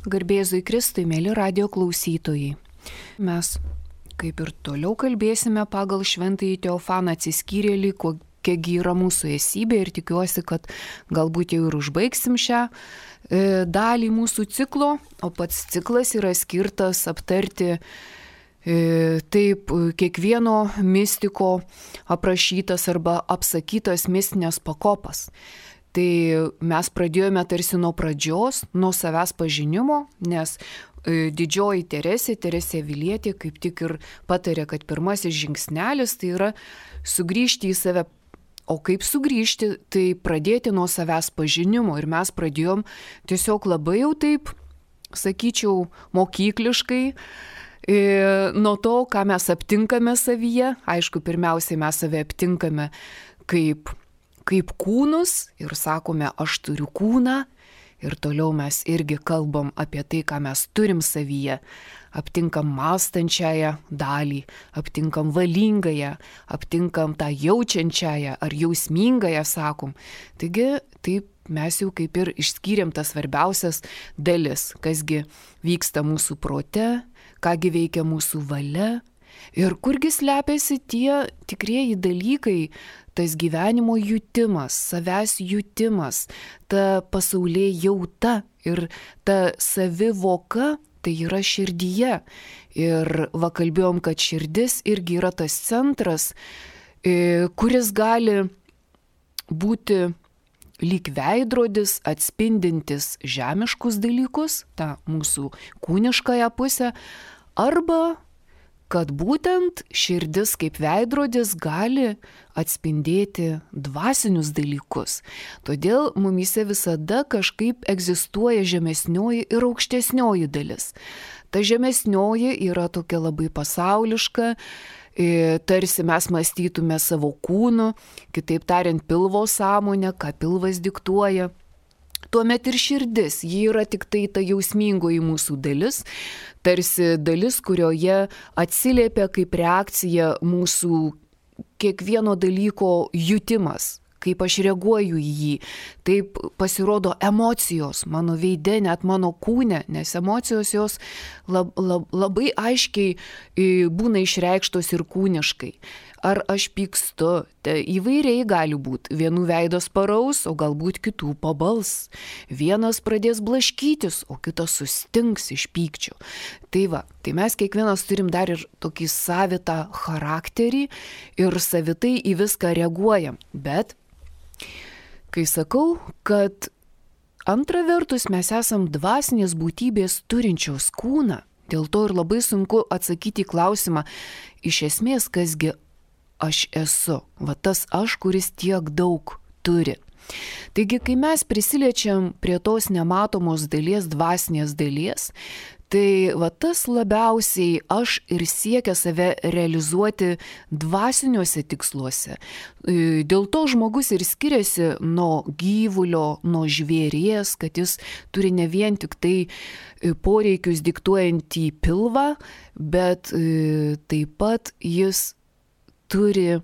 Garbėzui Kristui, mėly radio klausytojai. Mes kaip ir toliau kalbėsime pagal šventąjį Teofaną Atsiskyrėlį, kokiagi yra mūsų esybė, ir tikiuosi, kad galbūt jau ir užbaigsim šią dalį mūsų ciklo, o pats ciklas yra skirtas aptarti taip kiekvieno mistiko aprašytas arba apsakytas mistinės pakopas. Tai mes pradėjome tarsi nuo pradžios, nuo savęs pažinimo, nes didžioji Teresė Avilietė kaip tik ir patarė, kad pirmasis žingsnelis tai yra sugrįžti į save. O kaip sugrįžti, tai pradėti nuo savęs pažinimo. Ir mes pradėjom tiesiog labai jau taip, sakyčiau, mokykliškai, nuo to, ką mes aptinkame savyje. Aišku, pirmiausiai mes save aptinkame kaip kūnus ir sakome, aš turiu kūną. Ir toliau mes irgi kalbam apie tai, ką mes turim savyje. Aptinkam mąstančiąją dalį, aptinkam valingąją, aptinkam tą jaučiančiąją ar jausmingąją, sakom. Taigi, taip mes jau kaip ir išskyrėm tas svarbiausias dalis, kasgi vyksta mūsų prote, kągi veikia mūsų valia ir kurgi slepiasi tie tikrieji dalykai, tas gyvenimo jutimas, savęs jutimas, ta pasaulėjauta ir ta savivoka, tai yra širdyje. Ir kalbėjom, kad širdis irgi yra tas centras, kuris gali būti lyg veidrodis atspindintis žemiškus dalykus, tą mūsų kūniškąją pusę, arba kad būtent širdis kaip veidrodis gali atspindėti dvasinius dalykus. Todėl mumyse visada kažkaip egzistuoja žemesnioji ir aukštesnioji dalis. Ta žemesnioji yra tokia labai pasauliška, tarsi mes mąstytume savo kūnu, kitaip tariant pilvo sąmonę, ką pilvas diktuoja. Tuomet ir širdis, ji yra tik tai ta jausmingoji mūsų dalis, tarsi dalis, kurioje atsiliepia kaip reakcija mūsų kiekvieno dalyko jutimas, kaip aš reaguoju į jį. Taip pasirodo emocijos mano veide, net mano kūne, nes emocijos jos labai aiškiai būna išreikštos ir kūniškai. Ar aš pykstu, tai įvairiai gali būti. Vienų veidas paraus, o galbūt kitų pabals. Vienas pradės blaškytis, o kitas sustings iš pykčio. Tai mes kiekvienas turim dar ir tokį savitą charakterį ir savitai į viską reaguojam. Bet, kai sakau, kad antra vertus mes esam dvasinės būtybės turinčios kūną, dėl to ir labai sunku atsakyti į klausimą, iš esmės, kasgi aš esu, tas aš, kuris tiek daug turi. Taigi, kai mes prisiliečiam prie tos nematomos dalies, dvasinės dalies, tai tas labiausiai aš ir siekia save realizuoti dvasiniuose tiksluose. Dėl to žmogus ir skiriasi nuo gyvulio, nuo žvėries, kad jis turi ne vien tik tai poreikius diktuojantį pilvą, bet taip pat jis turi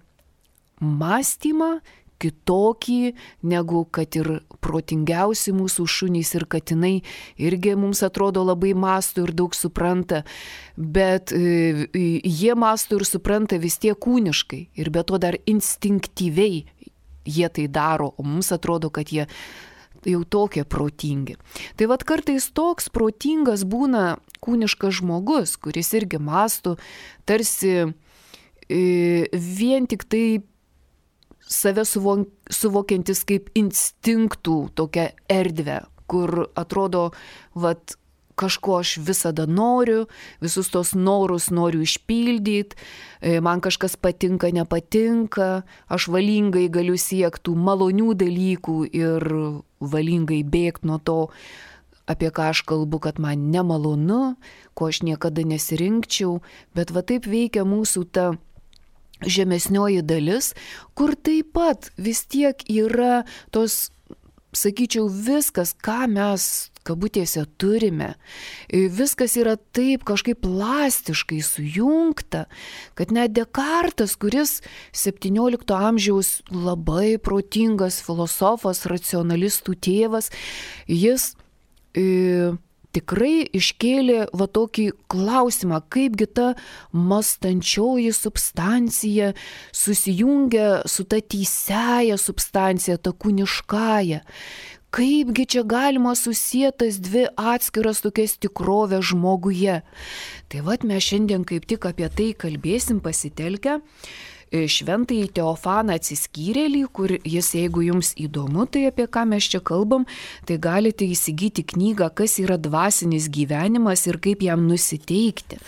mąstymą kitokį, negu kad ir protingiausi mūsų šunys ir katinai irgi mums atrodo labai mąsto ir daug supranta, bet jie mąsto ir supranta vis tiek kūniškai ir be to dar instinktyviai jie tai daro, o mums atrodo, kad jie jau tokie protingi. Tai kartais toks protingas būna kūniškas žmogus, kuris irgi mąsto tarsi vien tik tai save suvokiantis kaip instinktų tokią erdvę, kur atrodo, kažko aš visada noriu, visus tos norus noriu išpildyti, man kažkas patinka, nepatinka, aš valingai galiu siekti malonių dalykų ir valingai bėgti nuo to, apie ką aš kalbu, kad man nemalonu, ko aš niekada nesirinkčiau, bet taip veikia mūsų ta žemesnioji dalis, kur taip pat vis tiek yra tos, sakyčiau, viskas, ką mes kabutėse turime. Viskas yra taip kažkaip plastiškai sujungta, kad net Dekartas, kuris 17 amžiaus labai protingas filosofas, racionalistų tėvas, jis tikrai iškėlė va tokį klausimą, kaipgi ta mąstančioji substancija susijungia su ta teisiaja substancija, ta kūniškaja. Kaipgi čia galima susietas dvi atskiras tokias tikrovės žmoguje. Tai vat mes šiandien kaip tik apie tai kalbėsim pasitelkę šventąjį Teofaną Atsiskyrėlį, kur jis, jeigu jums įdomu, tai apie ką mes čia kalbam, tai galite įsigyti knygą Kas yra dvasinis gyvenimas ir kaip jam nusiteikti.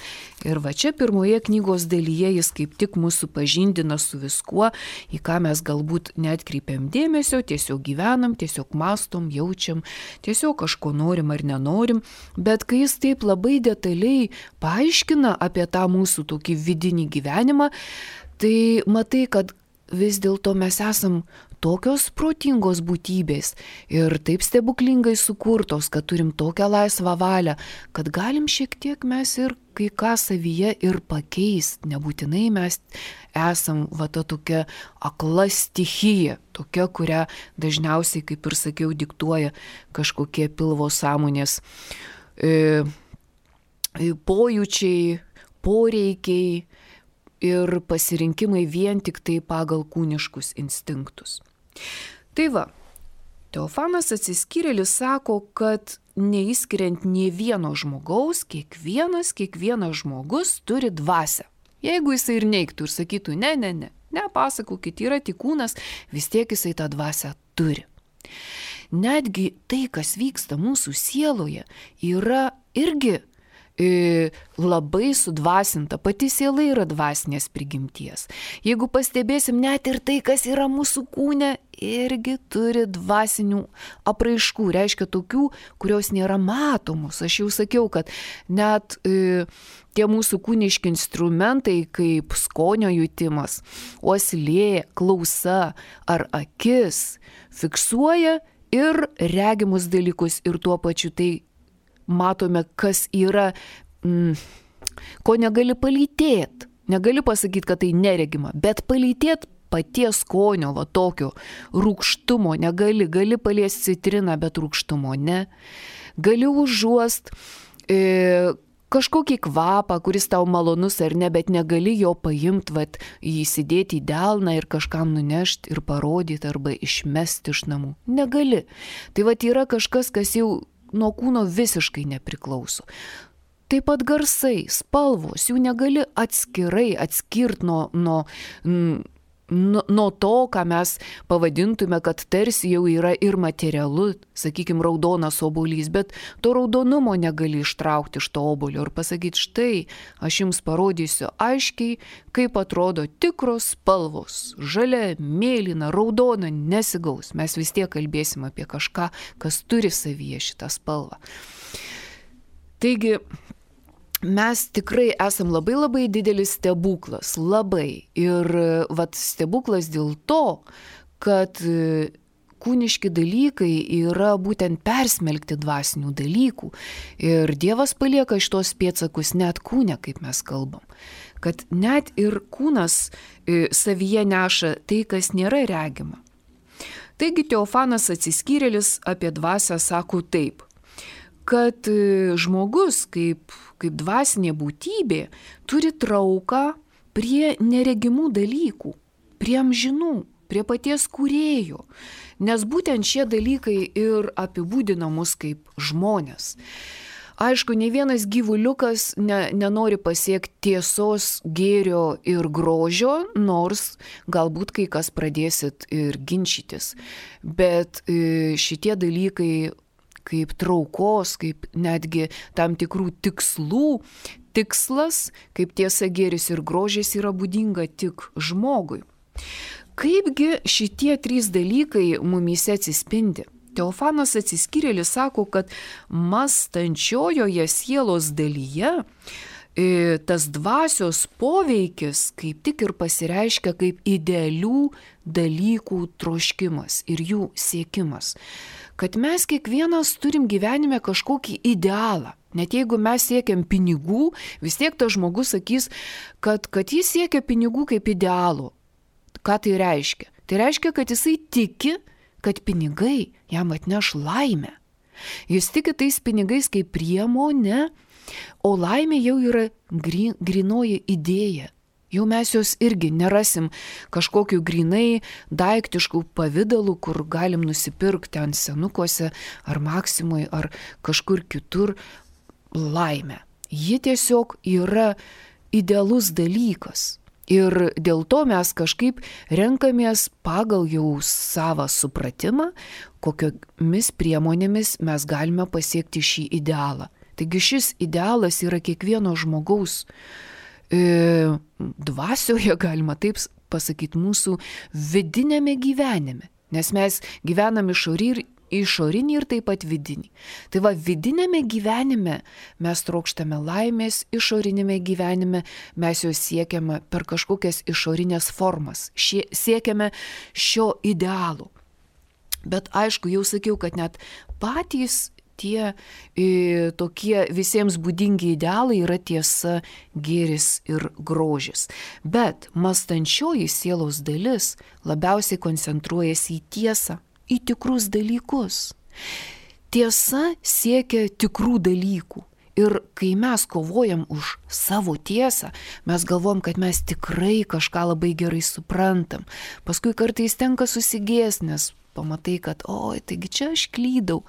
Ir va čia pirmoje knygos dalyje jis kaip tik mūsų pažindina su viskuo, į ką mes galbūt neatkreipiam dėmesio, tiesiog gyvenam, tiesiog mastom, jaučiam, tiesiog kažko norim ar nenorim, bet kai jis taip labai detaliai paaiškina apie tą mūsų tokį vidinį gyvenimą, tai matai, kad vis dėlto mes esam tokios protingos būtybės ir taip stebuklingai sukurtos, kad turim tokią laisvą valią, kad galim šiek tiek mes ir kai ką savyje ir pakeist. Nebūtinai mes esam va ta tokia akla stichija, tokia, kurią dažniausiai, kaip ir sakiau, diktuoja kažkokie pilvo sąmonės pojūčiai, poreikiai ir pasirinkimai vien tik tai pagal kūniškus instinktus. Tai va, Teofanas Atsiskyrėlis sako, kad neįskiriant nė vieno žmogaus, kiekvienas žmogus turi dvasią. Jeigu jisai ir neigtų ir sakytų, ne, pasakokit, yra tik kūnas, vis tiek jisai tą dvasią turi. Netgi tai, kas vyksta mūsų sieloje, yra irgi labai sudvasinta, pati siela yra dvasinės prigimties. Jeigu pastebėsim, net ir tai, kas yra mūsų kūne, irgi turi dvasinių apraiškų, reiškia tokių, kurios nėra matomos. Aš jau sakiau, kad net tie mūsų kūniški instrumentai, kaip skonio jutimas, uoslė, klausa ar akis, fiksuoja ir regimus dalykus ir tuo pačiu tai matome, kas yra, ko negali palytėti. Negali pasakyti, kad tai neregima, bet palytėti paties skonio, va tokio rūgštumo negali. Gali paliesti citriną, bet rūgštumo ne. Gali užuost kažkokį kvapą, kuris tau malonus ar ne, bet negali jo paimti, vat, įsidėti į delną ir kažkam nunešti ir parodyti arba išmesti iš namų. Negali. Tai vat yra kažkas, kas jau nuo kūno visiškai nepriklauso. Taip pat garsai, spalvos, jų negali atskirti nuo to, ką mes pavadintume, kad tarsi jau yra ir materialu, sakykime, raudonas obuolys, bet to raudonumo negali ištraukti iš to obuolio ir pasakyti, štai, aš jums parodysiu aiškiai, kaip atrodo tikros spalvos. Žalia, mėlyna, raudona nesigaus. Mes vis tiek kalbėsim apie kažką, kas turi savyje šitą spalvą. Taigi, mes tikrai esam labai didelis stebuklas, labai. Ir vat stebuklas dėl to, kad kūniški dalykai yra būtent persmelkti dvasinių dalykų. Ir Dievas palieka šitos pėdsakus net kūne, kaip mes kalbam. Kad net ir kūnas savyje neša tai, kas nėra regima. Taigi Teofanas Atsiskyrėlis apie dvasią sako taip, kad žmogus kaip dvasinė būtybė turi trauką prie neregimų dalykų, prie amžinų, prie paties kūrėjo, nes būtent šie dalykai ir apibūdina mus kaip žmonės. Aišku, nei vienas gyvuliukas nenori pasiekti tiesos, gėrio ir grožio, nors galbūt kai kas pradėsit ir ginčytis, bet šitie dalykai kaip traukos, kaip netgi tam tikrų tikslų, tikslas, kaip tiesa, gėris ir grožis yra būdinga tik žmogui. Kaipgi šitie trys dalykai mumyse atsispindi? Teofanas Atsiskyrėlis sako, kad mąstančiojoje sielos dalyje tas dvasios poveikis kaip tik ir pasireiškia kaip idealių dalykų troškimas ir jų siekimas. Kad mes kiekvienas turim gyvenime kažkokį idealą. Net jeigu mes siekiam pinigų, vis tiek tas žmogus sakys, kad jis siekia pinigų kaip idealų. Ką tai reiškia? Tai reiškia, kad jisai tiki, kad pinigai jam atneš laimę. Jis tiki tais pinigais kaip priemonė, o laimė jau yra grynoji idėja. Jau mes jos irgi nerasim kažkokiu grinai daiktiškų pavydalų, kur galim nusipirkti ant senukuose ar Maksimui ar kažkur kitur laimę. Ji tiesiog yra idealus dalykas. Ir dėl to mes kažkaip renkamės pagal jau savo supratimą, kokiomis priemonėmis mes galime pasiekti šį idealą. Taigi šis idealas yra kiekvieno žmogaus dvasioje, galima taip pasakyti, mūsų vidinėme gyvenime. Nes mes gyvenam išorinį ir taip pat vidinį. Tai va, vidinėme gyvenime mes trokštame laimės, išorinėme gyvenime mes jos siekiame per kažkokias išorinės formas. Siekiame šio idealo. Bet aišku, jau sakiau, kad net patys tie tokie visiems būdingi idealai yra tiesa, gėris ir grožis. Bet mąstančioji sielos dalis labiausiai koncentruojasi į tiesą, į tikrus dalykus. Tiesa siekia tikrų dalykų. Ir kai mes kovojam už savo tiesą, mes galvom, kad mes tikrai kažką labai gerai suprantam. Paskui kartais tenka susigėst, nes pamatai, kad oi, taigi čia aš klydau.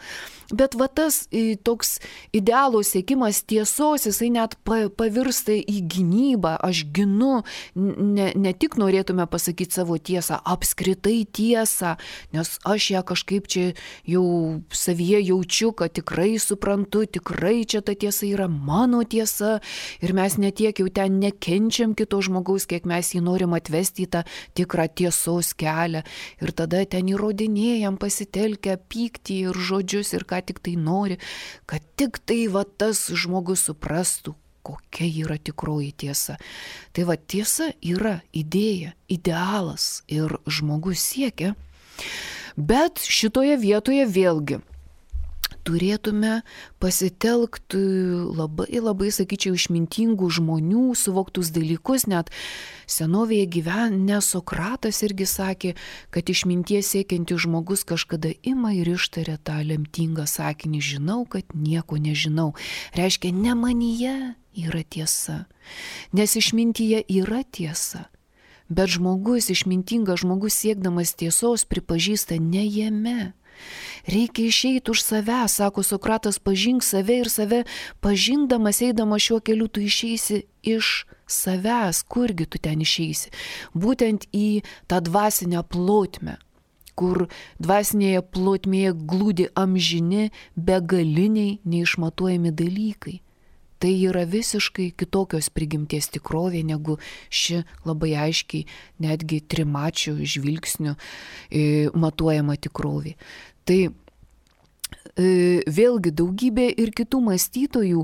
Bet va tas toks idealo siekimas tiesos, jisai net pavirsta į gynybą. Aš ginu, ne tik norėtume pasakyti savo tiesą, apskritai tiesą, nes aš ją kažkaip čia jau savyje jaučiu, kad tikrai suprantu, tikrai čia ta tiesa yra mano tiesa ir mes netiek jau ten nekenčiam kito žmogaus, kiek mes jį norim atvesti į tą tikrą tiesos kelią ir tada ten įrodinėjam pasitelkę pyktį ir žodžius ir ką tik tai nori, kad tik tai va tas žmogus suprastų, kokia yra tikroji tiesa. Tai va tiesa yra idėja, idealas ir žmogus siekia, bet šitoje vietoje vėlgi turėtume pasitelkti labai, sakyčiau, išmintingų žmonių suvoktus dalykus. Net senovėje gyvenęs Sokratas irgi sakė, kad išminties siekiantis žmogus kažkada ima ir ištaria tą lemtingą sakinį: žinau, kad nieko nežinau. Reiškia, ne manyje yra tiesa, nes išmintyje yra tiesa. Bet žmogus, išmintingas žmogus siekdamas tiesos pripažįsta ne jame. Reikia išeiti už save, sako Sokratas, pažink save ir save pažindamas, eidamas šiuo keliu, tu išeisi iš savęs. Kurgi tu ten išeisi? Būtent į tą dvasinę plotmę, kur dvasinėje plotmėje glūdi amžini, begaliniai, neišmatuojami dalykai. Tai yra visiškai kitokios prigimties tikrovė negu ši labai aiškiai, netgi trimačių žvilgsnių matuojama tikrovė. Tai vėlgi daugybė ir kitų mąstytojų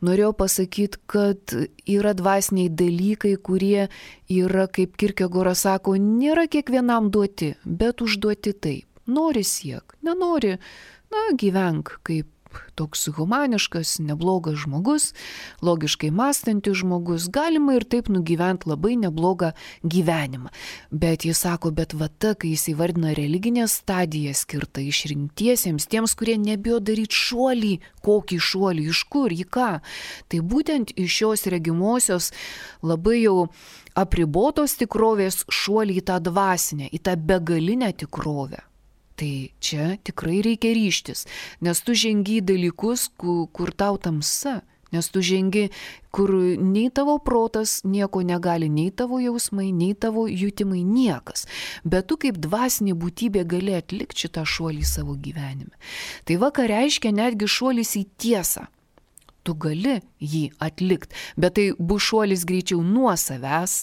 norėjo pasakyti, kad yra dvasiniai dalykai, kurie yra, kaip Kierkegoras sako, nėra kiekvienam duoti, bet užduoti taip. Nori siek, nenori, gyvenk kaip toks humaniškas, neblogas žmogus, logiškai mąstantis žmogus, galima ir taip nugyventi labai neblogą gyvenimą. Bet jis sako, bet va ta, kai jis įvardina religinę stadiją skirtą išrinktiesiems, tiems, kurie nebijo daryti šuolį, kokį šuolį, iš kur, į ką, tai būtent iš šios regimosios labai jau apribotos tikrovės šuolį į tą dvasinę, į tą begalinę tikrovę. Tai čia tikrai reikia ryžtis, nes tu žengi dalykus, kur tau tamsa, nes tu žengi, kur nei tavo protas nieko negali, nei tavo jausmai, nei tavo jutimai, niekas. Bet tu kaip dvasinė būtybė gali atlikti šitą šuolį savo gyvenime. Tai va, ką reiškia netgi šuolis į tiesą. Tu gali jį atlikti, bet tai bus šuolis greičiau nuo savęs,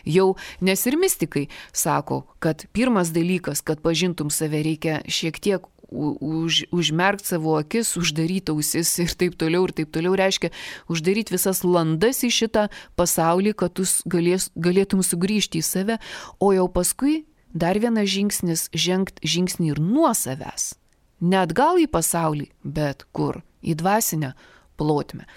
jau, nes ir mistikai sako, kad pirmas dalykas, kad pažintum save, reikia šiek tiek užmerkti savo akis, uždaryti ausis ir taip toliau, reiškia uždaryti visas landas į šitą pasaulį, kad tu galėtum sugrįžti į save, o jau paskui dar vienas žingsnis, žengti žingsnį ir nuo savęs. Ne atgal į pasaulį, bet kur? Į dvasinę plotmę.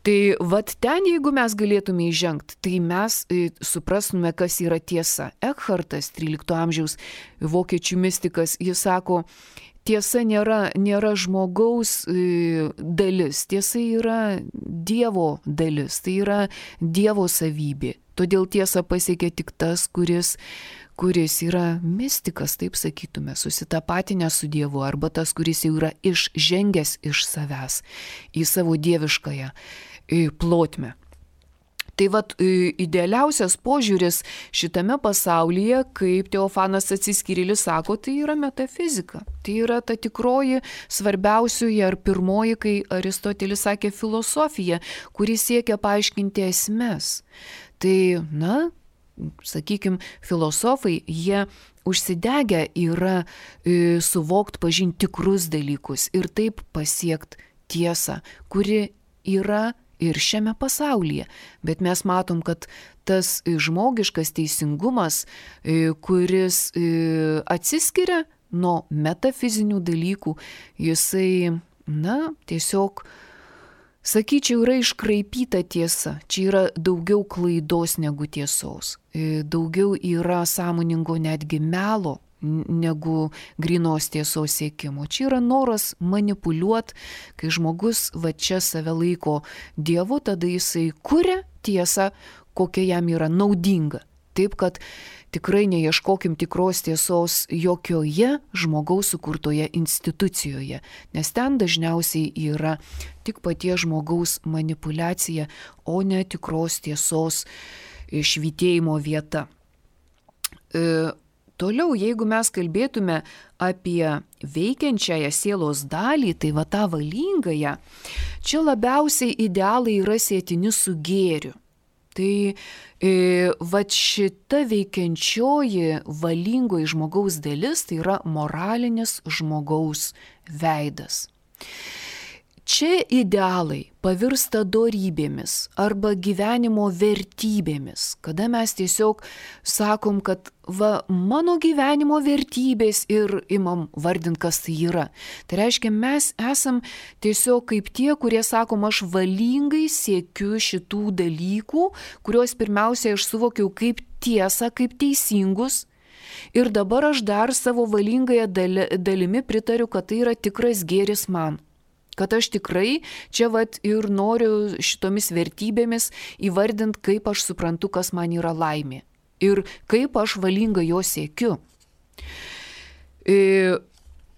Tai vat ten, jeigu mes galėtume įžengti, tai mes suprastume, kas yra tiesa. Ekhartas, 13 amžiaus vokiečių mistikas, jis sako, tiesa nėra žmogaus dalis, tiesa yra Dievo dalis, tai yra Dievo savybė. Todėl tiesa pasiekia tik tas, kuris yra mistikas, taip sakytume, susitapatinęs su Dievu, arba tas, kuris jau yra išžengęs iš savęs į savo dieviškąją plotmę. Tai vat idealiausias požiūris šitame pasaulyje, kaip Teofanas Atsiskyrėlis sako, tai yra metafizika. Tai yra ta tikroji svarbiausioji ar pirmoji, kai Aristotelis sakė, filosofija, kuri siekia paaiškinti esmes. Tai, sakykime, filosofai, jie užsidegę yra suvokti, pažinti tikrus dalykus ir taip pasiekti tiesą, kuri yra ir šiame pasaulyje. Bet mes matom, kad tas žmogiškas teisingumas, kuris atsiskiria nuo metafizinių dalykų, jisai, tiesiog, sakyčiau, yra iškraipyta tiesa. Čia yra daugiau klaidos negu tiesos. Daugiau yra sąmoningo netgi melo negu grynos tiesos siekimo. Čia yra noras manipuliuoti, kai žmogus va čia save laiko Dievu, tada jisai kuria tiesą, kokia jam yra naudinga. Taip, kad tikrai neieškokim tikros tiesos jokioje žmogaus sukurtoje institucijoje, nes ten dažniausiai yra tik paties žmogaus manipulacija, o ne tikros tiesos švytėjimo vieta. Toliau, jeigu mes kalbėtume apie veikiančiąją sielos dalį, tai va tą valingąją, čia labiausiai idealai yra sietini su gėriu. Tai va šita veikiančioji valingoji žmogaus dalis, tai yra moralinis žmogaus veidas. Čia idealai pavirsta dorybėmis arba gyvenimo vertybėmis, kada mes tiesiog sakom, kad mano gyvenimo vertybės ir imam vardint, kas tai yra. Tai reiškia, mes esam tiesiog kaip tie, kurie sakom, aš valingai siekiu šitų dalykų, kuriuos pirmiausia aš suvokiau kaip tiesą, kaip teisingus. Ir dabar aš dar savo valingąją dalimi pritariu, kad tai yra tikras gėris man. Kad aš tikrai čia ir noriu šitomis vertybėmis įvardinti, kaip aš suprantu, kas man yra laimė. Ir kaip aš valingai jo siekiu.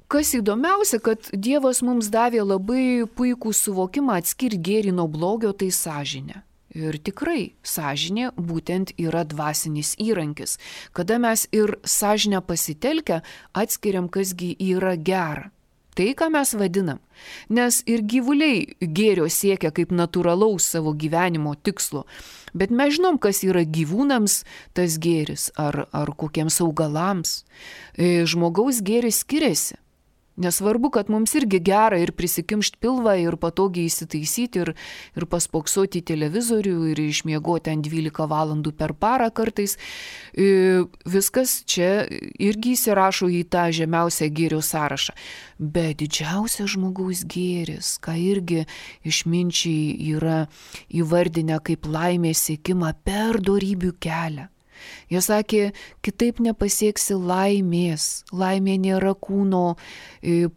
Kas įdomiausia, kad Dievas mums davė labai puikų suvokimą atskirti gėrį nuo blogio, tai sąžinė. Ir tikrai sąžinė būtent yra dvasinis įrankis, kada mes ir sąžinę pasitelkę atskiriam, kasgi yra gera. Tai, ką mes vadinam. Nes ir gyvuliai gėrio siekia kaip natūralaus savo gyvenimo tikslo. Bet mes žinom, kas yra gyvūnams tas gėris ar kokiems augalams. Žmogaus gėris skiriasi. Nesvarbu, kad mums irgi gera ir prisikimšti pilvą ir patogiai įsitaisyti ir paspoksoti į televizorių ir išmiegoti ant 12 valandų per parą kartais. Viskas čia irgi įsirašo į tą žemiausią gėrio sąrašą. Bet didžiausias žmogaus gėris, ką irgi išminčiai yra įvardinę kaip laimės siekimą per dorybių kelią. Jie sakė, kitaip nepasieksi laimės. Laimė nėra kūno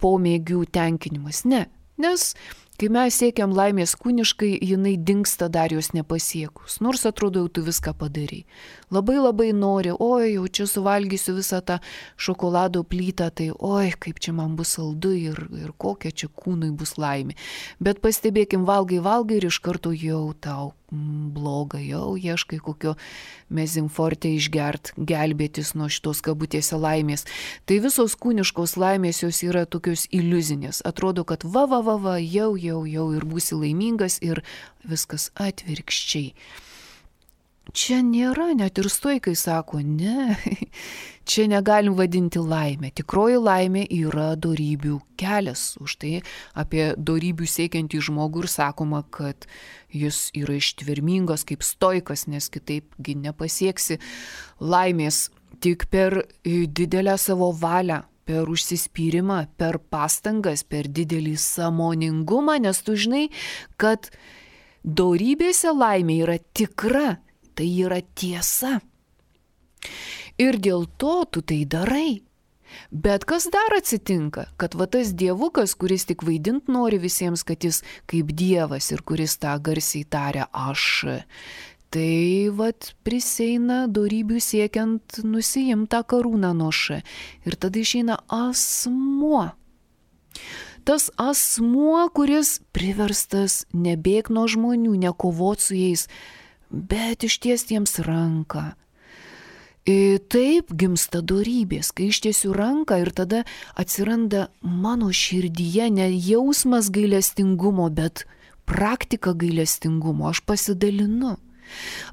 pomėgių tenkinimas. Ne, nes kai mes siekiam laimės kūniškai, jinai dingsta dar jos nepasiekus. Nors atrodo, jau tu viską padarai. Labai nori, jau čia suvalgysiu visą tą šokolado plytą, tai kaip čia man bus saldu ir kokia čia kūnui bus laimė. Bet pastebėkim, valgai ir iš karto jau tau bloga, jau ieškai kokio mezinforte išgert, gelbėtis nuo šitos kabutėse laimės. Tai visos kūniškos laimės jos yra tokios iliuzinės. Atrodo, kad jau ir būsi laimingas ir viskas atvirkščiai. Čia nėra, net ir stoikai sako, ne, čia negalim vadinti laimę. Tikroji laimė yra dorybių kelias. Už tai apie dorybių siekiantį žmogų ir sakoma, kad jis yra ištvermingas kaip stoikas, nes kitaipgi nepasieksi laimės tik per didelę savo valią, per užsispyrimą, per pastangas, per didelį sąmoningumą, nes tu žinai, kad dorybėse laimė yra tikra. Tai yra tiesa. Ir dėl to tu tai darai. Bet kas dar atsitinka, kad va tas dievukas, kuris tik vaidint nori visiems, kad jis kaip dievas ir kuris tą garsiai taria aš, tai vat priseina dorybių siekiant nusiimti tą karūną nuo š. Ir tada išeina asmuo. Tas asmuo, kuris priverstas nebėgti nuo žmonių, nekovoti su jais, bet ištiesti jiems ranką. Taip gimsta dorybės, kai ištiesiu ranką ir tada atsiranda mano širdyje ne jausmas gailestingumo, bet praktika gailestingumo. Aš pasidalinu.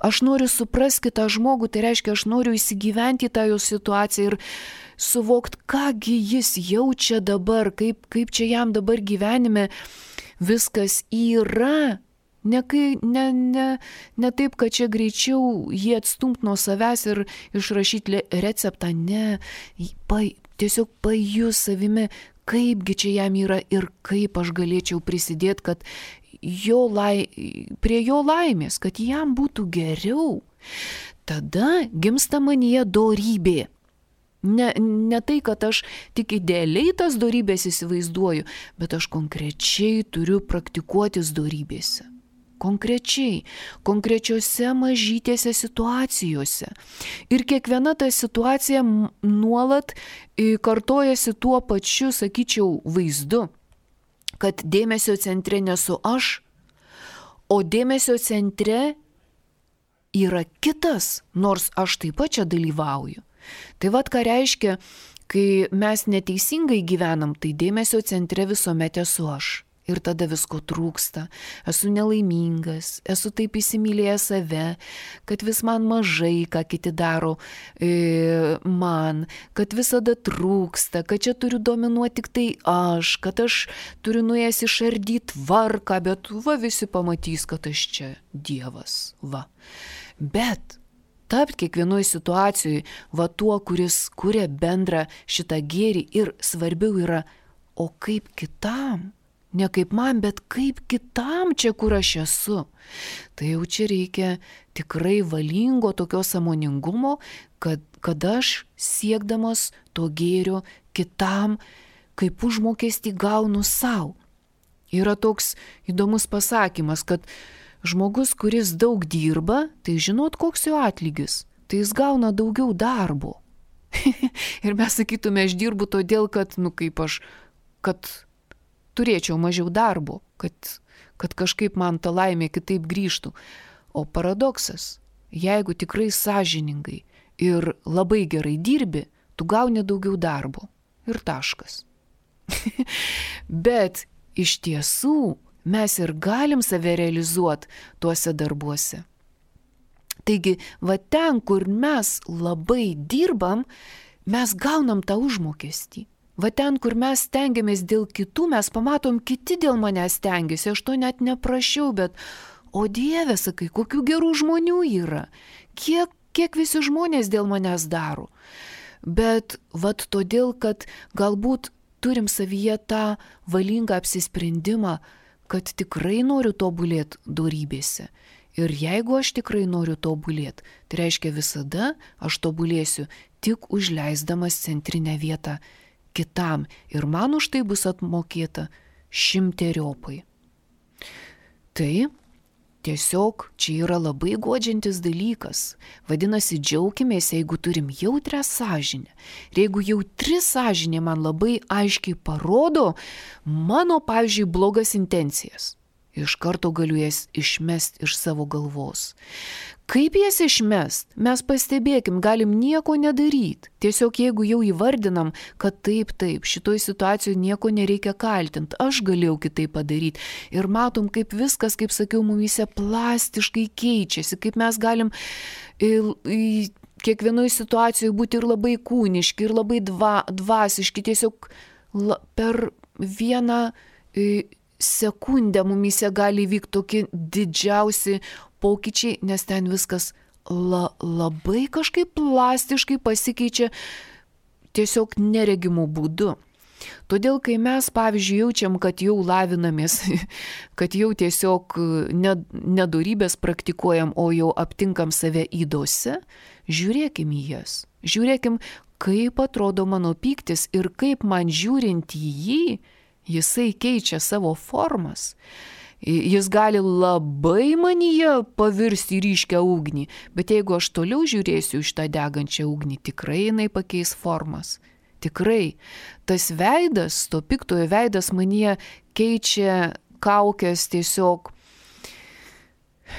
Aš noriu suprasti kitą žmogų, tai reiškia, aš noriu įsigyventi tą jo situaciją ir suvokti, kągi jis jaučia dabar, kaip čia jam dabar gyvenime viskas yra. Ne taip, kad čia greičiau jį atstumt nuo savęs ir išrašyti receptą, ne, tiesiog pajus savimi, kaipgi čia jam yra ir kaip aš galėčiau prisidėti, kad prie jo laimės, kad jam būtų geriau. Tada gimsta manyje dorybė. Ne tai, kad aš tik idealiai tas dorybės įsivaizduoju, bet aš konkrečiai turiu praktikuotis dorybėse. Konkrečiose mažytėse situacijose. Ir kiekviena ta situacija nuolat kartojasi tuo pačiu, sakyčiau, vaizdu, kad dėmesio centre nesu aš, o dėmesio centre yra kitas, nors aš taip pat čia dalyvauju. Tai vat ką reiškia, kai mes neteisingai gyvenam, tai dėmesio centre visuomet esu aš. Ir tada visko trūksta, esu nelaimingas, esu taip įsimylėjęs save, kad vis man mažai, ką kiti daro man, kad visada trūksta, kad čia turiu dominuoti tik tai aš, kad aš turiu nuėjęs išardyti tvarką, bet va visi pamatys, kad aš čia dievas, va. Bet tapti kiekvienoje situacijoje va tuo, kuris kuria bendrą šitą gėrį ir svarbiau yra, o kaip kitam? Ne kaip man, bet kaip kitam čia, kur aš esu. Tai jau čia reikia tikrai valingo tokio sąmoningumo, kad aš siekdamas to gėrio kitam, kaip užmokestį gaunu savo. Yra toks įdomus pasakymas, kad žmogus, kuris daug dirba, tai žinot, koks jo atlygis. Tai jis gauna daugiau darbo. Ir mes sakytume, aš dirbu todėl, kad, kad turėčiau mažiau darbo, kad kažkaip man ta laimė kitaip grįžtų. O paradoksas, jeigu tikrai sąžiningai ir labai gerai dirbi, tu gauni daugiau darbo. Ir taškas. Bet iš tiesų mes ir galim save realizuoti tuose darbuose. Taigi, va ten, kur mes labai dirbam, mes gaunam tą užmokestį. Va ten, kur mes stengiamės dėl kitų, mes pamatom, kiti dėl manęs stengiasi, aš to net neprašiau, bet, o Dieve, sakai, kokių gerų žmonių yra, kiek visi žmonės dėl manęs daro. Bet vat todėl, kad galbūt turim savyje tą valingą apsisprendimą, kad tikrai noriu tobulėti dorybėse. Ir jeigu aš tikrai noriu tobulėti, tai reiškia visada aš tobulėsiu tik užleisdamas centrinę vietą kitam ir man už tai bus atmokėta 100-eriopai. Tai tiesiog čia yra labai guodžiantis dalykas. Vadinasi, džiaukimės, jeigu turim jautrią sąžinę. Ir jeigu jautri sąžinė man labai aiškiai parodo mano, pavyzdžiui, blogas intencijas, iš karto galiu jas išmest iš savo galvos. Kaip jas išmest? Mes pastebėkim, galim nieko nedaryti. Tiesiog jeigu jau įvardinam, kad taip, šitoj situacijoje nieko nereikia kaltinti, aš galėjau kitaip padaryti. Ir matom, kaip viskas, kaip sakiau, mumyse plastiškai keičiasi, kaip mes galim kiekvienoje situacijoje būti ir labai kūniški, ir labai dvasiški. Tiesiog per vieną sekundę mumyse gali vykti tokie didžiausi pokyčiai, nes ten viskas labai kažkaip plastiškai pasikeičia tiesiog neregimų būdu. Todėl, kai mes, pavyzdžiui, jaučiam, kad jau lavinamės, kad jau tiesiog nedorybės praktikuojam, o jau aptinkam save ydose, žiūrėkim į jas. Žiūrėkim, kaip atrodo mano pyktis ir kaip man žiūrint į jį, jisai keičia savo formas. Jis gali labai manyje pavirsti į ryškią ugnį, bet jeigu aš toliau žiūrėsiu iš tą degančią ugnį, tikrai jinai pakeis formas. Tikrai. Tas veidas, to piktojo veidas manyje keičia kaukės tiesiog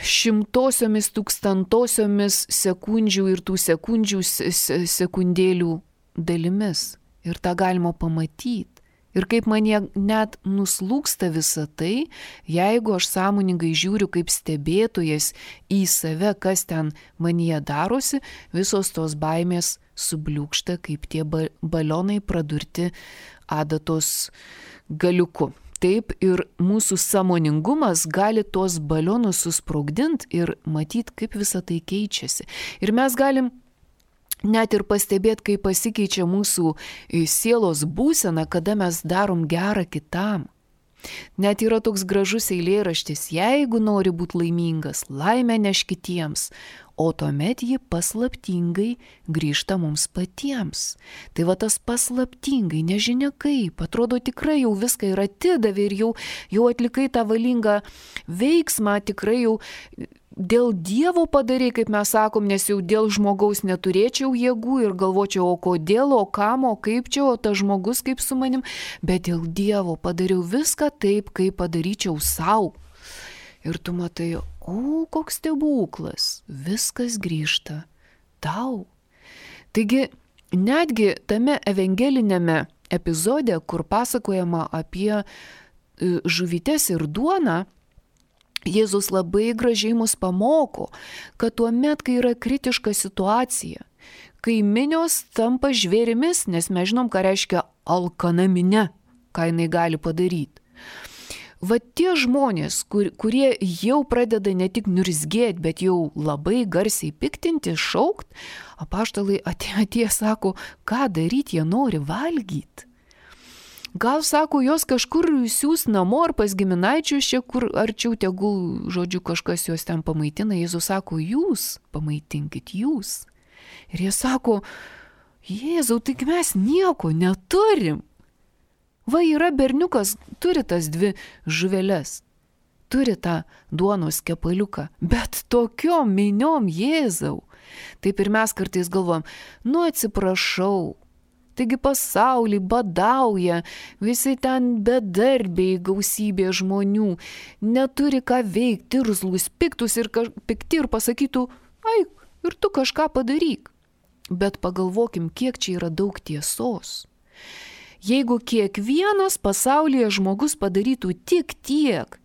šimtosiomis, tūkstantosiomis sekundžių ir tų sekundžių sekundėlių dalimis. Ir tą galima pamatyti. Ir kaip manyje net nuslūksta visa tai, jeigu aš sąmoningai žiūriu kaip stebėtojas į save, kas ten manyje darosi, visos tos baimės subliūkšta kaip tie balionai pradurti adatos galiuku. Taip ir mūsų sąmoningumas gali tuos balionus susprogdinti ir matyti, kaip visa tai keičiasi. Ir mes galim net ir pastebėti, kaip pasikeičia mūsų sielos būsena, kada mes darom gerą kitam. Net yra toks gražus eilėraštis, jeigu nori būti laimingas, laimę neš kitiems, o tuomet ji paslaptingai grįžta mums patiems. Tai va tas paslaptingai, nežinia kaip, atrodo tikrai jau viską ir atidavė ir jau atlikai tą valingą veiksmą, tikrai jau dėl Dievo padarė, kaip mes sakom, nes jau dėl žmogaus neturėčiau jėgų ir galvočiau, o kodėl, o kam, o kaip čia, o tas žmogus kaip su manim, bet dėl Dievo padariau viską taip, kaip padaryčiau savo. Ir tu matai, o koks stebuklas, viskas grįžta tau. Taigi, netgi tame evangelinėme epizode, kur pasakojama apie žuvytes ir duoną, Jėzus labai gražiai mus pamoko, kad tuomet, kai yra kritiška situacija, kai minios tampa žvėrimis, nes mes žinom, ką reiškia alkana minia, ką jinai gali padaryti. Va tie žmonės, kurie jau pradeda ne tik niurzgėti, bet jau labai garsiai piktinti, šaukt, apaštalai atėjo sako, ką daryti, jie nori valgyti. Gal, sako, jos kažkur siūs namo ar pas giminaičius čia, kur arčiau tegul, žodžiu, kažkas juos ten pamaitina. Jėzus sako, jūs pamaitinkit, jūs. Ir jie sako, Jėzau, tik mes nieko neturim. Va yra berniukas, turi tas 2 žuveles, turi tą duonos kepaliuką, bet tokiom miniom, Jėzau. Taip ir mes kartais galvom, atsiprašau. Taigi pasaulį badauja, visi ten bedarbiai, gausybė žmonių, neturi ką veikti, irzlus, piktus ir pikti ir pasakytų, ir tu kažką padaryk. Bet pagalvokim, kiek čia yra daug tiesos. Jeigu kiekvienas pasaulyje žmogus padarytų tik tiek,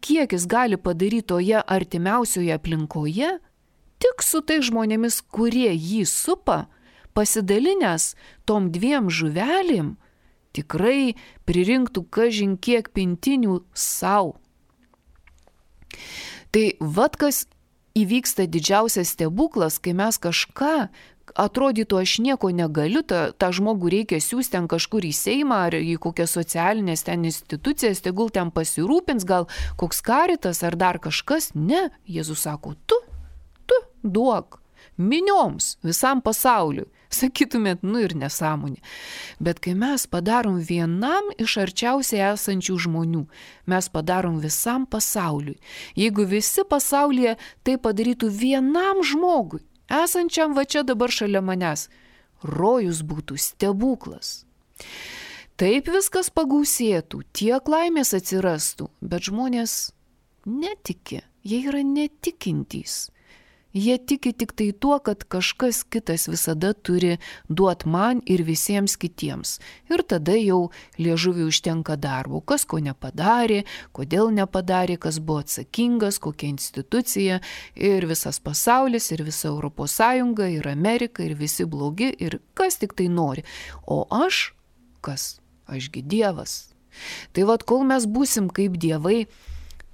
kiek jis gali padaryti toje artimiausioje aplinkoje, tik su tai žmonėmis, kurie jį supa, pasidalinęs tom 2 žuvelėm, tikrai pririnktų kažin kiek pintinių savo. Tai vat kas įvyksta didžiausias stebuklas, kai mes kažką, atrodytų aš nieko negaliu, tą žmogų reikia siūsti ten kažkur į Seimą ar į kokias socialinės ten institucijas, tegul ten pasirūpins, gal koks karitas ar dar kažkas. Ne, Jėzus sako, tu duok minioms, visam pasauliu. Sakytumėt, ir nesąmonė. Bet kai mes padarom vienam iš arčiausiai esančių žmonių, mes padarom visam pasauliui. Jeigu visi pasaulyje tai padarytų vienam žmogui, esančiam va čia dabar šalia manęs, rojus būtų stebuklas. Taip viskas pagausėtų, tiek laimės atsirastų, bet žmonės netiki, jie yra netikintys. Jie tiki tik tai tuo, kad kažkas kitas visada turi duoti man ir visiems kitiems. Ir tada jau liežuviui užtenka darbo, kas ko nepadarė, kodėl nepadarė, kas buvo atsakingas, kokia institucija ir visas pasaulis, ir visa Europos Sąjunga, ir Amerika, ir visi blogi, ir kas tik tai nori. O aš, kas? Ašgi Dievas. Tai vat kol mes būsim kaip dievai,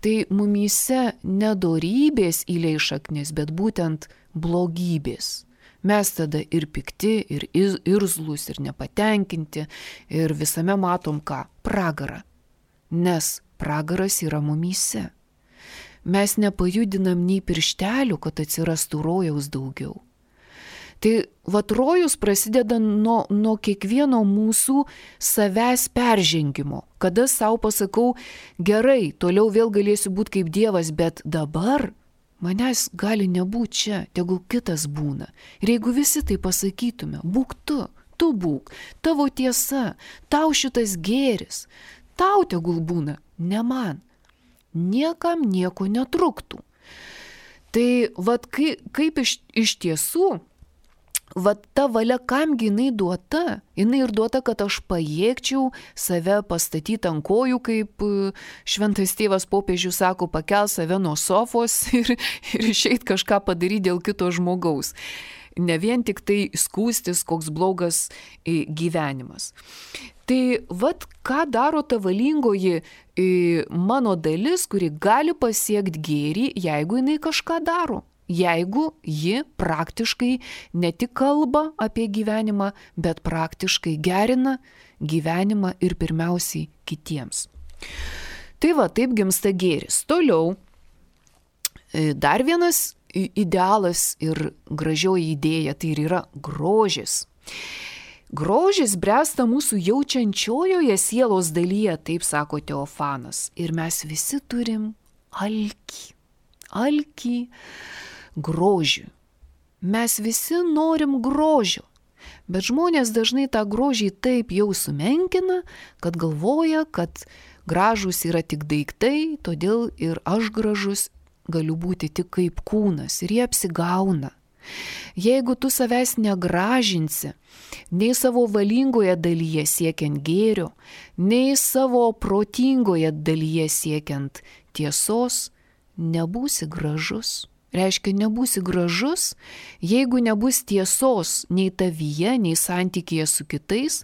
tai mumyse nedorybės įleis šaknis, bet būtent blogybės. Mes tada ir pikti, ir irzlus, ir nepatenkinti, ir visame matom ką? Pragarą. Nes pragaras yra mumyse. Mes nepajudinam nei pirštelių, kad atsirastų rojaus daugiau. Tai vat rojus prasideda nuo kiekvieno mūsų savęs peržengimo. Kada savo pasakau, gerai, toliau vėl galėsiu būti kaip Dievas, bet dabar manęs gali nebūti čia, tegul kitas būna. Ir jeigu visi tai pasakytume, būk tu būk, tavo tiesa, tau šitas gėris, tau tegul būna, ne man. Niekam nieko netruktų. Tai vat kaip iš tiesų, vat ta valia, kamgi jinai duota? Jinai ir duota, kad aš pajėgčiau save pastatyti ant kojų, kaip šventas tėvas popiežius sako, pakel save nuo sofos ir išeit kažką padaryti dėl kito žmogaus. Ne vien tik tai skūstis, koks blogas gyvenimas. Tai vat ką daro ta valingoji mano dalis, kuri gali pasiekti gėrį, jeigu jinai kažką daro. Jeigu ji praktiškai ne tik kalba apie gyvenimą, bet praktiškai gerina gyvenimą ir pirmiausiai kitiems. Tai va, taip gimsta gėris. Toliau, dar vienas idealas ir gražioji idėja, tai ir yra grožis. Grožis bręsta mūsų jaučiančiojoje sielos dalyje, taip sako Teofanas. Ir mes visi turim alkį grožių. Mes visi norim grožio, bet žmonės dažnai tą grožį taip jau sumenkina, kad galvoja, kad gražus yra tik daiktai, todėl ir aš gražus galiu būti tik kaip kūnas ir jie apsigauna. Jeigu tu savęs negražinsi, nei savo valingoje dalyje siekiant gėrio, nei savo protingoje dalyje siekiant tiesos, nebūsi gražus. Reiškia, nebūsi gražus, jeigu nebus tiesos nei tavyje, nei santykėje su kitais,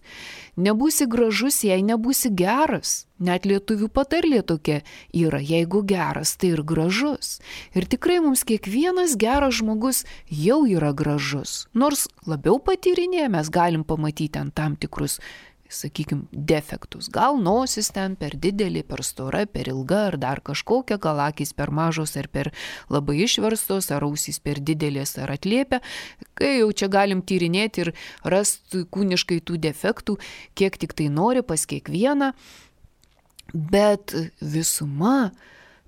nebūsi gražus, jei nebūsi geras. Net lietuvių patarlė tokia yra, jeigu geras, tai ir gražus. Ir tikrai mums kiekvienas geras žmogus jau yra gražus. Nors labiau patyrinėję mes galim pamatyti ant tam tikrus, sakykime, defektus. Gal nosis ten per didelį, per stora, per ilga, ar dar kažkokia, gal akys per mažos, ar per labai išverstos, ar ausys per didelės, ar atliepia. Kai jau čia galim tyrinėti ir rasti kūniškai tų defektų, kiek tik tai nori pas kiekvieną. Bet visuma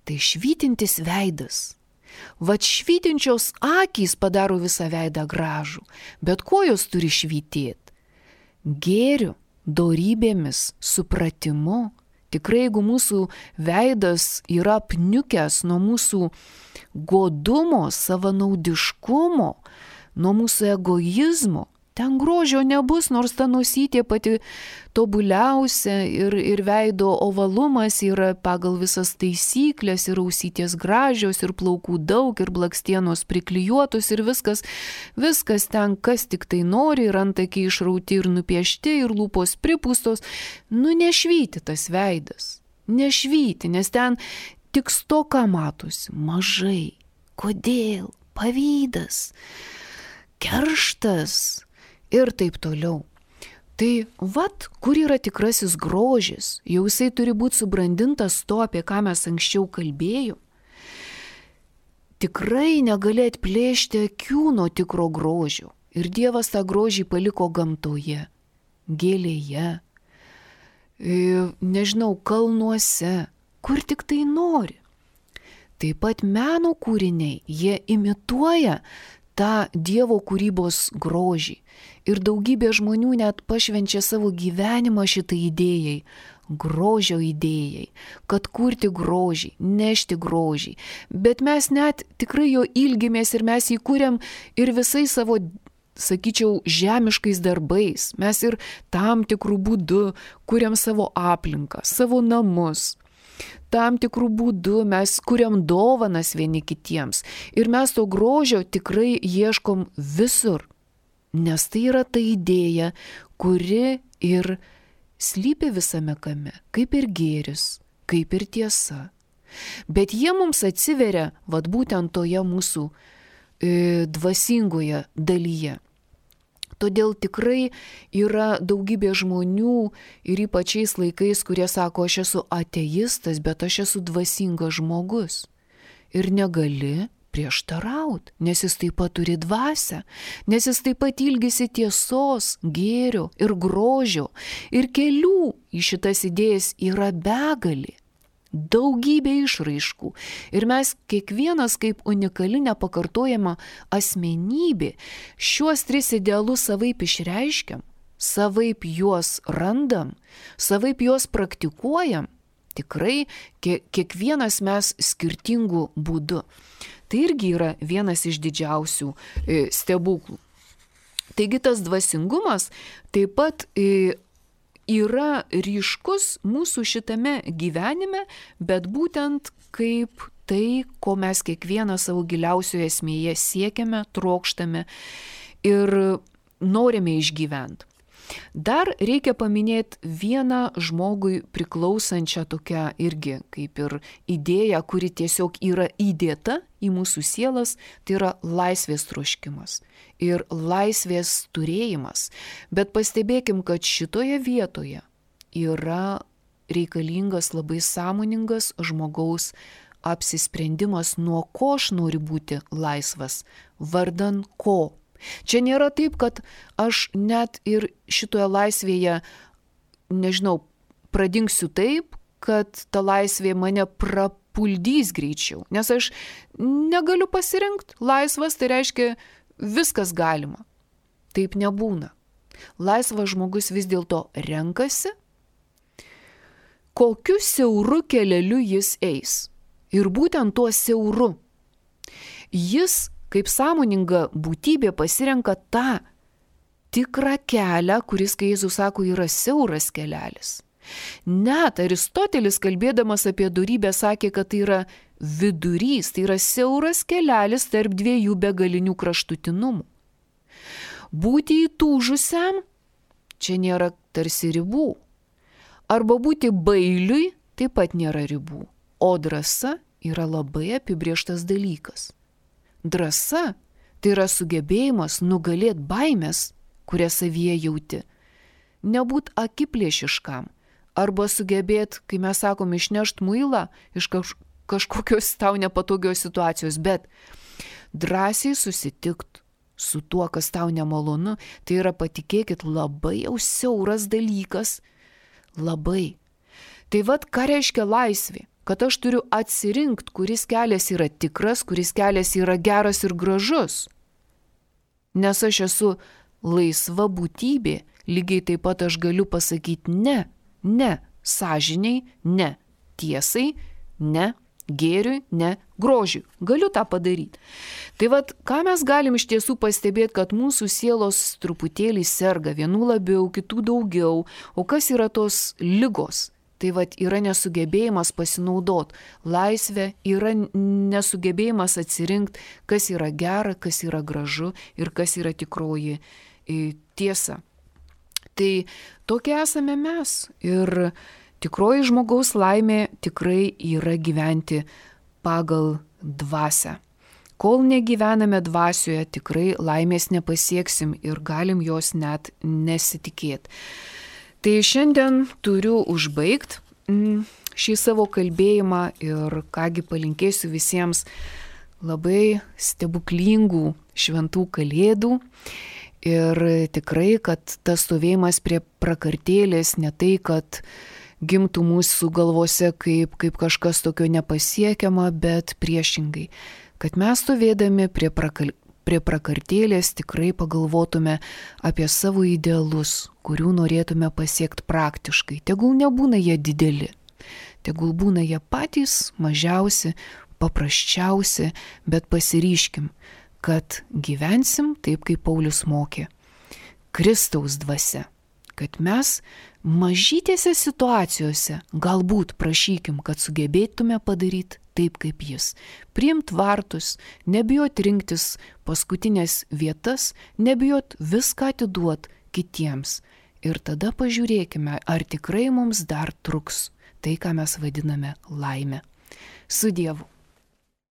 tai švytintis veidas. Vat švytinčios akys padaro visą veidą gražų. Bet kuo jos turi švytėti? Gėriu, dorybėmis, supratimu. Tikrai, jeigu mūsų veidas yra apniukęs nuo mūsų godumo, savanaudiškumo, nuo mūsų egoizmo, ten grožio nebus, nors ta nosytė pati tobuliausia ir veido ovalumas yra pagal visas taisyklės, ir ausytės gražios, ir plaukų daug, ir blakstienos priklijuotos, ir viskas ten, kas tik tai nori, ir antakiai išrauti ir nupiešti, ir lūpos pripūstos. Nešvyti tas veidas, nešvyti, nes ten tik stoka matosi, mažai. Kodėl? Pavydas, kerštas ir taip toliau. Tai vat, kur yra tikrasis grožis, jau jisai turi būti subrandintas to, apie ką mes anksčiau kalbėjom. Tikrai negali atplėšti akių nuo tikro grožio. Ir Dievas tą grožį paliko gamtoje, gėlėje, nežinau, kalnuose, kur tik tai nori. Taip pat meno kūriniai, jie imituoja tą Dievo kūrybos grožį. Ir daugybė žmonių net pašvenčia savo gyvenimą šitai idėjai, grožio idėjai, kad kurti grožį, nešti grožį. Bet mes net tikrai jo ilgimės ir mes jį kūrėm ir visai savo, sakyčiau, žemiškais darbais. Mes ir tam tikrų būdų kūrėm savo aplinką, savo namus. Tam tikrų būdų mes kuriam dovanas vieni kitiems. Ir mes to grožio tikrai ieškom visur. Nes tai yra ta idėja, kuri ir slypi visame kame, kaip ir gėris, kaip ir tiesa. Bet jie mums atsiveria, vat būtent toje mūsų dvasingoje dalyje. Todėl tikrai yra daugybė žmonių ir ypač šiais laikais, kurie sako, aš esu ateistas, bet aš esu dvasingas žmogus. Ir negali prieštarauti, nes jis taip pat turi dvasią, nes jis taip pat ilgisi tiesos, gėrio ir grožio. Ir kelių į šitas idėjas yra begalė, daugybė išraiškų. Ir mes kiekvienas kaip unikali nepakartojama asmenybė šiuos 3 idealus savaip išreiškiam, savaip juos randam, savaip juos praktikuojam. Tikrai kiekvienas mes skirtingų būdų. Tai irgi yra vienas iš didžiausių stebuklų. Taigi tas dvasingumas taip pat yra ryškus mūsų šitame gyvenime, bet būtent kaip tai, ko mes kiekvieną savo giliausioje esmėje siekiame, trokštame ir norime išgyventi. Dar reikia paminėti vieną žmogui priklausančią tokią irgi kaip ir idėją, kuri tiesiog yra įdėta į mūsų sielas, tai yra laisvės troškimas ir laisvės turėjimas. Bet pastebėkim, kad šitoje vietoje yra reikalingas labai sąmoningas žmogaus apsisprendimas, nuo ko aš noriu būti laisvas, vardan ko. Čia nėra taip, kad aš net ir šitoje laisvėje, nežinau, pradingsiu taip, kad ta laisvė mane prapuldys greičiau. Nes aš negaliu pasirinkti. Laisvas tai reiškia viskas galima. Taip nebūna. Laisvas žmogus vis dėlto renkasi, kokiu siauru keleliu jis eis. Ir būtent tuo siauru. Jis kaip sąmoninga būtybė pasirenka tą tikrą kelią, kuris, kai Jėzus sako, yra siauras kelelis. Net Aristotelis, kalbėdamas apie dorybę, sakė, kad tai yra vidurys, tai yra siauras kelelis tarp 2 begalinių kraštutinumų. Būti įtūžusiam, čia nėra tarsi ribų. Arba būti bailiui, taip pat nėra ribų. O drąsa yra labai apibrėžtas dalykas. Drąsa tai yra sugebėjimas nugalėti baimės, kurią savyje jauti. Nebūt akiplėšiškam. Arba sugebėti, kai mes sakom, išnešti muilą iš kažkokios tau nepatogios situacijos, bet drąsiai susitikti su tuo, kas tau nemalonu, tai yra, patikėkit, labai jau siauras dalykas. Labai. Tai vat, ką reiškia laisvė? Kad aš turiu atsirinkti, kuris kelias yra tikras, kuris kelias yra geras ir gražus. Nes aš esu laisva būtybė, lygiai taip pat aš galiu pasakyti ne sąžiniai, ne tiesai, ne gėriui, ne grožiui. Galiu tą padaryti. Tai vat, ką mes galim iš tiesų pastebėti, kad mūsų sielos truputėlį serga, vienų labiau, kitų daugiau. O kas yra tos ligos? Tai vat, yra nesugebėjimas pasinaudoti. Laisvė yra nesugebėjimas atsirinkti, kas yra gera, kas yra gražu ir kas yra tikroji tiesa. Tai tokie esame mes. Ir tikroji žmogaus laimė tikrai yra gyventi pagal dvasią. Kol negyvename dvasioje, tikrai laimės nepasieksim ir galim jos net nesitikėti. Tai šiandien turiu užbaigti šį savo kalbėjimą ir kągi palinkėsiu visiems labai stebuklingų šventų kalėdų. Ir tikrai, kad tas stovėjimas prie prakartėlės ne tai, kad gimtų mūsų galvose kaip kažkas tokio nepasiekiama, bet priešingai. Kad mes stovėdami prie prakartėlės tikrai pagalvotume apie savo idealus, kurių norėtume pasiekti praktiškai. Tegul nebūna jie dideli, tegul būna jie patys mažiausi, paprasčiausi, bet pasiryškim, kad gyvensim taip, kaip Paulius mokė. Kristaus dvasia. Kad mes mažytėse situacijose galbūt prašykim, kad sugebėtume padaryti taip, kaip jis. Priimt vartus, nebijot rinktis paskutinės vietas, nebijot viską atiduot kitiems. Ir tada pažiūrėkime, ar tikrai mums dar truks tai, ką mes vadiname laime. Su Dievu.